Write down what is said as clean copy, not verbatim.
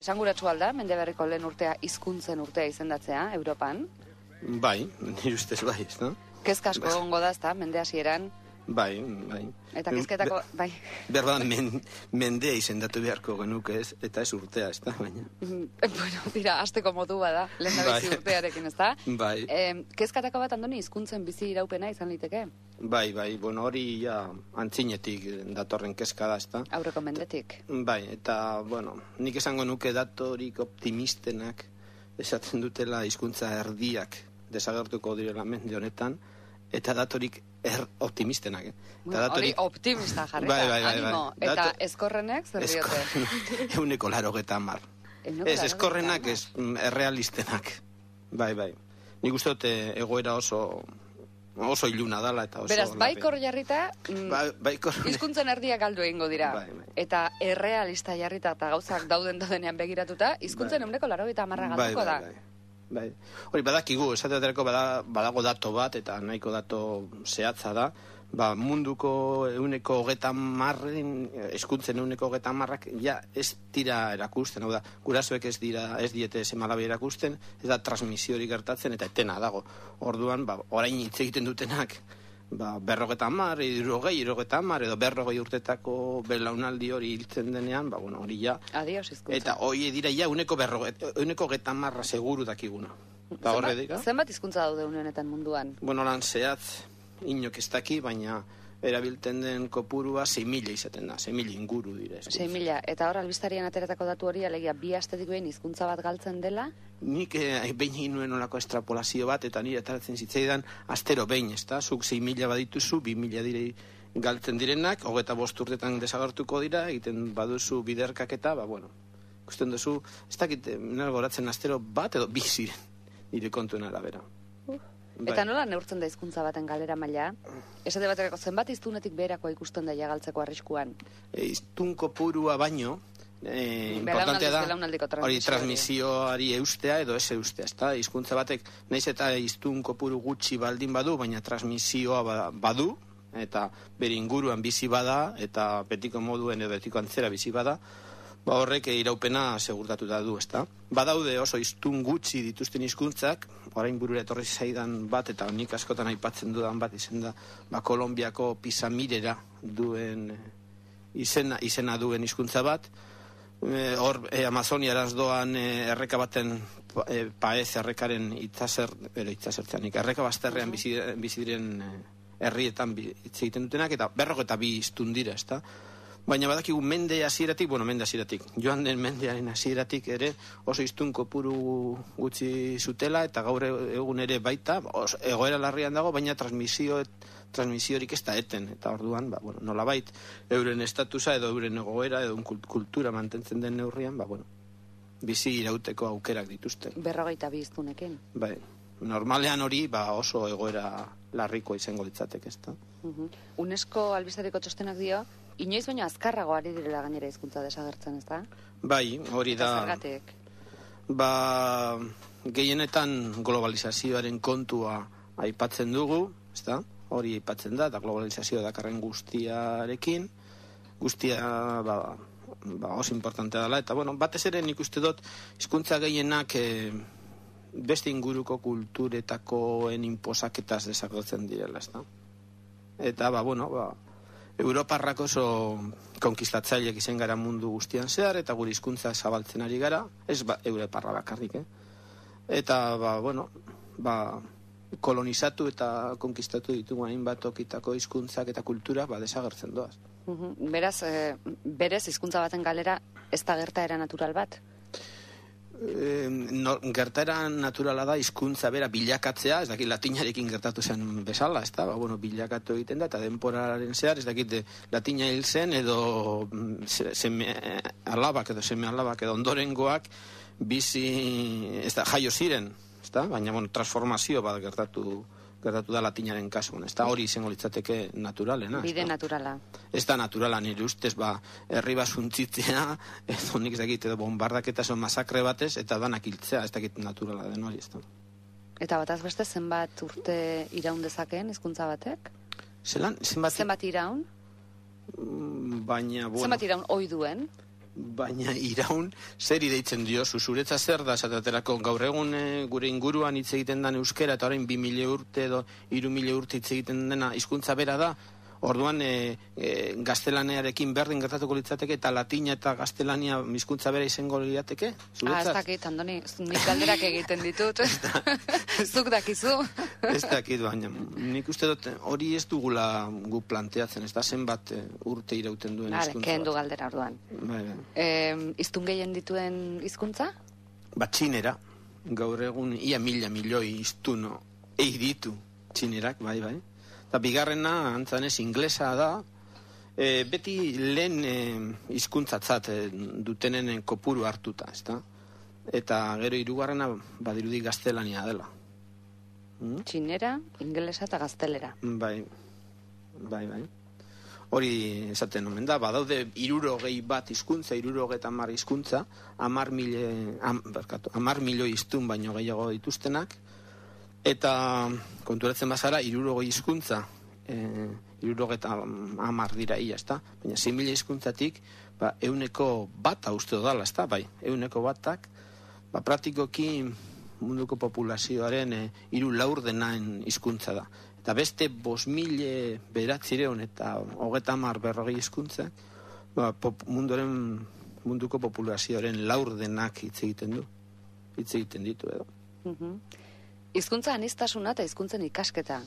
Esanguratsu alda, Mendeberriko lehen urtea hizkuntzen urtea izendatzea, Europan? Bai, nire ustez bai, ez da? Kezka asko gongo da, ezta, mende hasieran. Bai. Eta kezketako, bai. Berda, mendea izendatu beharko genuke ez, eta ez urtea, ez da, baina. Bueno, tira, hasteko modu bada, lehen da bizi urtearekin, ez da? Bai. Kezkatako bat, Andoni, hizkuntzen bizi iraupena izan liteke? Bai, bueno, hori ja antzinetik datorren kezka da, ez da? Aurreko mendetik. Bai, eta, bueno, nik esango nuke datorik optimistenak esaten dutela hizkuntza erdiak desagertuko direla mende honetan, eta datorik optimistenak. Hori optimista jarri da, animo. Eta eskorrenek zer diote? 180. Ez, eskorrenak ez errealistenak. Bai. Nik uste dut egoera oso iluna dala eta oso... Beraz, baikor jarrita, hizkuntzen erdiak galdu egingo dira. Eta errealista jarrita eta gauzak daudenean begiratuta, hizkuntzen 90% galduko da. Bai. Hori badakigu, esateaterako badago dato bat, eta nahiko dato zehatza da, munduko 130 hizkuntzen 130 ja ez dira erakusten, hau da, gurasoek ez diete seme-alabe erakusten, ez da transmisiorik gertatzen eta etena dago. Orduan, orain hitz egiten dutenak, 50, 60, edo 40 urtetako belaunaldi hori hiltzen denean, hori ja. Adios hizkuntza. Eta hori dira ja 130 seguru dakiguna. Zenbat hizkuntza daude une honetan munduan? Bueno, lan zehatz, inok ez daki, baina erabiltzen den kopurua 6.000 izaten da, 6.000 inguru dira. 6.000, eta hor albistarian ateratako datu hori, alegia, 2 astetik behin hizkuntza bat galtzen dela? Nik behin egin nuen olako estrapolazio bat, eta nire ataratzen zitzaidan astero behin, ez da? Zuk 6.000 badituzu, 2.000 direi galtzen direnak, 25 urtetan desagertuko dira, egiten baduzu biderkaketa, ikusten duzu, ez dakit, goratzen astero bat edo 2 ziren, nire kontuen arabera. Eta nola neurtzen da hizkuntza baten galera maila? Esate baterako zenbat hiztunetik beherakoa ikusten da galtzeko arriskuan? Hiztun kopurua baino, importantea da, hori transmisioari eustea edo ez eustea, ezta? Hizkuntza batek, nahiz eta hiztun kopuru gutxi baldin badu, baina transmisioa badu, eta bere inguruan bizi bada, eta betiko moduen edo betiko antzera bizi bada, horrek iraupena segurtatuta du, ezta? Badaude oso hiztun gutxi dituzten hizkuntzak, orain burura etorri zaidan bat, eta nik askotan aipatzen dudan bat izen da, Kolonbiako Pisamirera duen izena duen hizkuntza bat, hor Amazoniaraz doan erreka baten Paez errekaren itzasertzeanik, erreka bazterrean bizi diren herrietan hitz egiten dutenak, eta 42 hiztun dira, ezta? Baina badakigu mende hasieratik, joan den mendearen hasieratik ere oso hiztun kopuru gutxi zutela, eta gaur egun ere baita, egoera larrian dago, baina transmisiorik ez da eten, eta orduan, nolabait, euren estatusa edo euren egoera edo kultura mantentzen den neurrian, bizi irauteko aukerak dituzten. 42 hiztunekin. Bai, normalean hori oso egoera larrikoa izango litzateke, ezta? UNESCO albistariko txostenak dio, inoiz baino azkarrago ari direla gainera hizkuntza desagertzen, ezta? Bai, hori da. Zergatik? Gehienetan globalizazioaren kontua aipatzen dugu, ezta? Hori aipatzen da, eta globalizazioa dakarren guztiarekin, guztia oso importantea dela, eta batez ere nik uste dut hizkuntza gehienak beste inguruko kulturetakoen inposaketaz desagertzen direla, ezta? Eta Europarrak oso konkistatzaileak izan gara mundu guztian zehar, eta gure hizkuntza zabaltzen ari gara, ez Europarra bakarrik, Eta, kolonizatu eta konkistatu ditugu hainbat tokitako hizkuntzak eta kultura desagertzen doaz. Beraz, berez hizkuntza baten galera ez da gertaera natural bat? Gertaera naturala da hizkuntza bera bilakatzea, ez dakit latinarekin gertatu zen bezala, ez da, bilakatu egiten da, eta denporaren zehar, ez dakit latina hil zen, edo seme alabak edo ondorengoak bizi, ez da, jaio ziren, ez da, baina, transformazio bat gertatu da latinaren kasuan, ez da, hori izango litzateke naturalena. Bide naturala. Ez da naturala, nire ustez, herri basuntzitzea, edo nik ez dakit, edo bombardaketa son masakre batez, eta danak hiltzea, ez dakit naturala den hori, ez da. Eta bataz beste zenbat urte iraun dezakeen hizkuntza batek? Zenbat iraun? Baina, zenbat iraun ohi duen? baina iraun zeri deitzen dio, zuretza zer da, esaterako gaur egun gure inguruan hitz egiten den euskera, eta orain 2000 urte edo 3000 urte hitz egiten dena hizkuntza bera da, orduan gaztelaniarekin berdin gertatuko litzateke, eta latina eta gaztelania hizkuntza bera izango lirateke? Ez dakit, Andoni, nik galderak egiten ditut. Zuk dakizu. Ez dakit, baina nik uste dut hori ez dugula gu planteatzen, ez da zenbat urte irauten duen hizkuntza bat. Kendu galdera orduan. Hiztun gehien dituen hizkuntza? Txinera, gaur egun ia 1000 milioi hiztun ditu txinerak, bai. Eta bigarrena, antzanez, inglesa da, beti lehen hizkuntzatzat dutenen kopuru hartuta, ezta? Eta gero hirugarrena badirudi gaztelania dela. Txinera, ingelesa eta gaztelera. Bai. Hori esaten omen da, badaude 61 hizkuntza, 70 hizkuntza, 10 milioi hiztun baino gehiago dituztenak, eta konturatzen bazara, 60 hizkuntza, 70 dira ia, ezta? Baina 6.000 hizkuntzatik, 100% uste dala, ezta? Bai, 100%, praktikoki munduko populazioaren 3/4 hizkuntza da. Eta beste 5.900 eta 30-40 hizkuntza, munduko populazioaren 4% hitz egiten ditu edo. Hizkuntza aniztasuna eta hizkuntzen ikasketa.